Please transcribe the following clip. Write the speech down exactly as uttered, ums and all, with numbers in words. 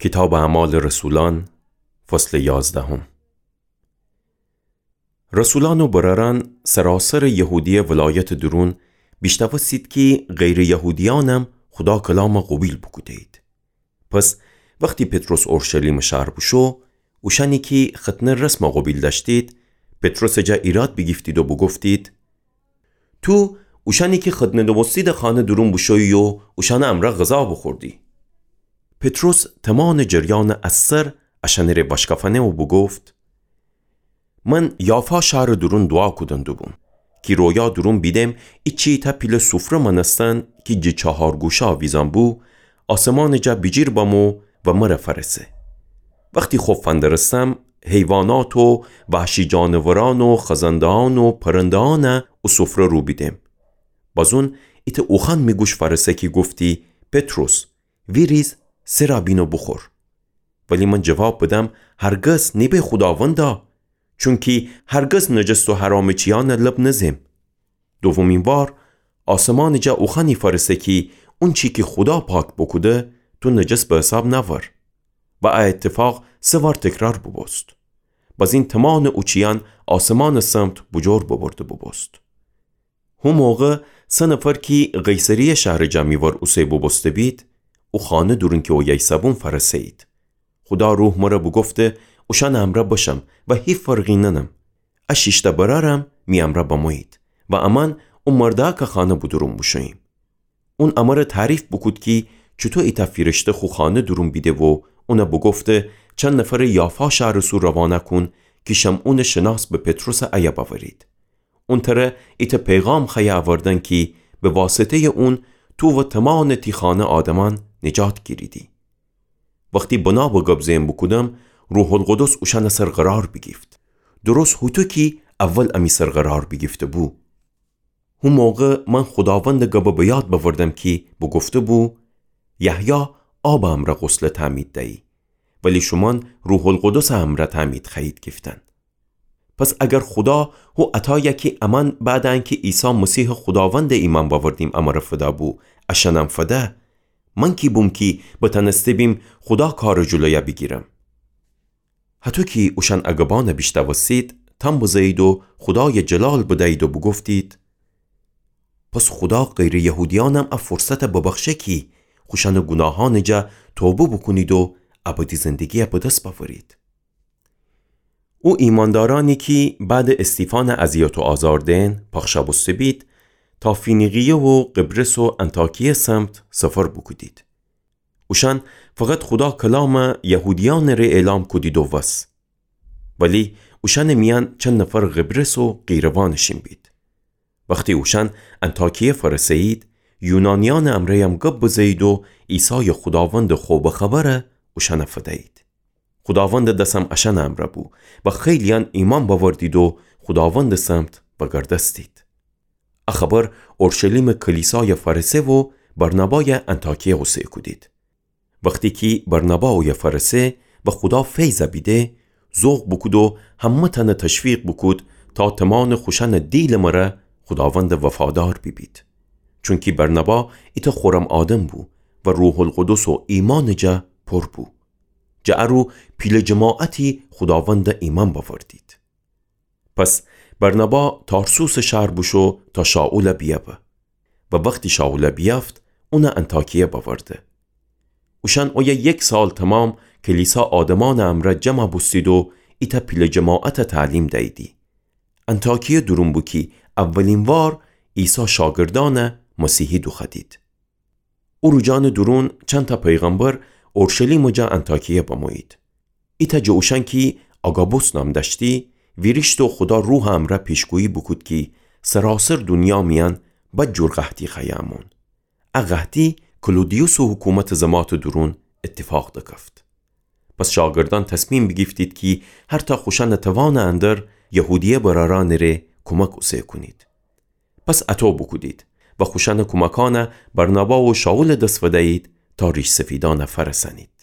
کیتابٚ اعمالٚ رسولأن، فصلٚ یازدهم. رسولأن و برأرأن سراسرٚ یهودیه ولایتٚ دورون بیشتأوستید کی غیرٚ یهودیأنم خودا کلام قوبیل بوکوده‌یید. پس وختی پطرس اورشلیمٚ شهر بوشو، اوشأنی کی ختنه رسم قوبیل دأشتید، پطرسٚ جا ایراد بیگیفتید و بوگفتید: تو اوشأنی کی ختنه نوبوستیدٚ خانه دورون بوشویی و اوشأنٚ امرأ غذا بوخوردی. پطرس تمانٚ جریانٚ از سر اشأنٚ ره وأشکافأنه و بوگفت: من یافا شهرٚ دورون دوعا کودن دوبوم کی رویا دورون بیدم ایچی ایتأ پیله سوفره مأنستن کی جٚه چهار گوشه آویزأن بو، آسمانٚ جا بیجیر بمو و مره فأرسه. وختی خب فندرستم، حیوانات و وحشی جانورأن و خزنده‌أن و پرنده‌أن او سوفره رو بیدم. بازون ایتأ اوخوأن می گوش فأرسه کی گفتی: پطرس، ویریز، سرا بین و بوخور. ولی من جواب بدم: هرگز، نیبه خوداوندا، چونکی هرگز نجس و حرامٚ چیأن لب نزم. دومین وار آسمانٚ جا اوخوأنی فأرسه کی اونچی کی خودا پاک بوکوده، تو نجس به حساب نأور. و ا اتفاق سه وار تکرار بوبوست. بازین تمانٚ او چیأن آسمانٚ سمت بوجور ببرده بوبوست. هو موقع سه نفر کی قیصریه شهرٚ جا می ور اوسه بوبوسته بید، او خانه دورون کی اویه ایسه‌بون فأرسه‌یید. خودا روح مره بوگفته اوشأنٚ امرأ بشم و هیچ فرقی ننم. ا شیشتأ برأرم می امرأ بمویید و امأن او مردأکٚ خانه بودورون بوشوییم. اون امره تعریف بوکود کی چوطو ایتأ فیرشته خو خانه دورون بیده و اون بوگفته چند نفر یافا شهرٚ سو روانه کون کی شمعونٚ شناس به پطرسٚ ایه بأورید. اون تره ایتأ پیغام خوأیه اوردن کی به واسطه‌یٚ اون تو و تمانٚ تی خانه آدمأن نجات گیریدی. وختی بنا به گب زئن بوکودم، روح‌القدس اوشأنٚ سر قرار بیگیفت، درست هوطو کی اول امی سر قرار بیگیفته‌بو. هو موقع من خوداوندٚ گبه به یاد بأوردم کی بوگفته‌بو: یحیی آبٚ امرأ غسل تعمید دیی، ولی شومأن روح‌القدسٚ امرأ تعمید خوأیید گیفتن. پس اگر خودا هو عطایأ کی امأن بعدٚ انکی عیسی مسیحٚ خوداوندٚ ایمأن بأوردیم امره فده‌بو، اشأنم فده، من کی بوم کی بتأنسته بیم خودا کارٚ جلویأ بیگیرم؟ هطو کی اوشأن ا گبأنه بیشنوستید، تمب بزه‌یید و خودایه جلال بدیید و بوگفتید: پس خودا غیرٚ یهودیأنم ا فرصته ببخشه کی خوشأنٚ گوناهأنٚ جا توبه بوکونید و ابدی زندگیه به دس بأورید. او ایمأندارأنی کی بعدٚ استیفانٚ اذیت و آزار دئن پخش بوسته بید، تا فینیقیه و قبرس و انطاکیه سمت سفر بوکودید. اوشأن فقط خودا کلامه یهودیأنٚ ره اعلام کودید و وس. ولی اوشأنٚ میأن چند نفر قبرس و قیروانٚ شین بید. وختی اوشأن انطاکیه فأرسه‌یید، یونانیأنٚ امرأیم گب بزه‌یید و عیسایٚ خوداوندٚ خوبٚ خبره اوشأنه فدیید. خوداوندٚ دسم اشأنٚ امرأ بو و خیلییأن ایمأن بأوردید و خوداوندٚ سمت وأگردستید. ا خبر اورشلیمٚ کلیسایه فأرسه و برنبایه انطاکیه اوسه کودید. وختی کی برنبا اویه فأرسه و خودا فیضه بیده، ذوق بوکود و همه‌تأنه تشویق بوکود تا تمانٚ خوشأنٚ دیلٚ مره خوداوندٚ وفادار بیبید. چونکی برنبا ایتأ خورم آدم بو و روح‌القدس و ایمأنٚ جا پور بو. جٚه ا رو پیله جماعتی خوداوندٚ ایمأن بأوردید. پس برنبا تارسوسٚ شهر بوشو تا شائوله بیأبه. و وختی شائوله بیأفت، اونه انطاکیه بأورده. اوشأن اویه یک سال تومام کلیسا آدمأنٚ امرأ جمع بوستید و ایتأ پیله جماعته تعلیم دییدی. انطاکیه دورون بو کی اولین وار عیسی شاگردأنه مسیحی دوخوأدید. او روجأنٚ دورون چندتأ پیغمبر اورشلیمٚ جا انطاکیه بمویید. ایتأ جٚه اوشأن کی آگابوس نام دأشتی، ویریشت و خودا روحٚ امرأ پیشگویی بوکود کی سراسر دونیا میأن بد جور قحطی خوأیه امون. ا قحطی کلودیوسٚ حکومتٚ زماتٚ دورون ایتفاق دکفت. پس شاگردأن تصمیم بیگیفتید کی هرتأ خوشأنٚ توانٚ اندر یهودیه برأرأنٚ ره کومک اوسه کونید. پس اطو بوکودید و خوشأنٚ کومکأنه برنبا و شائولٚ دس فدیید تا ریش‌سفیدأنه فأرسأنید.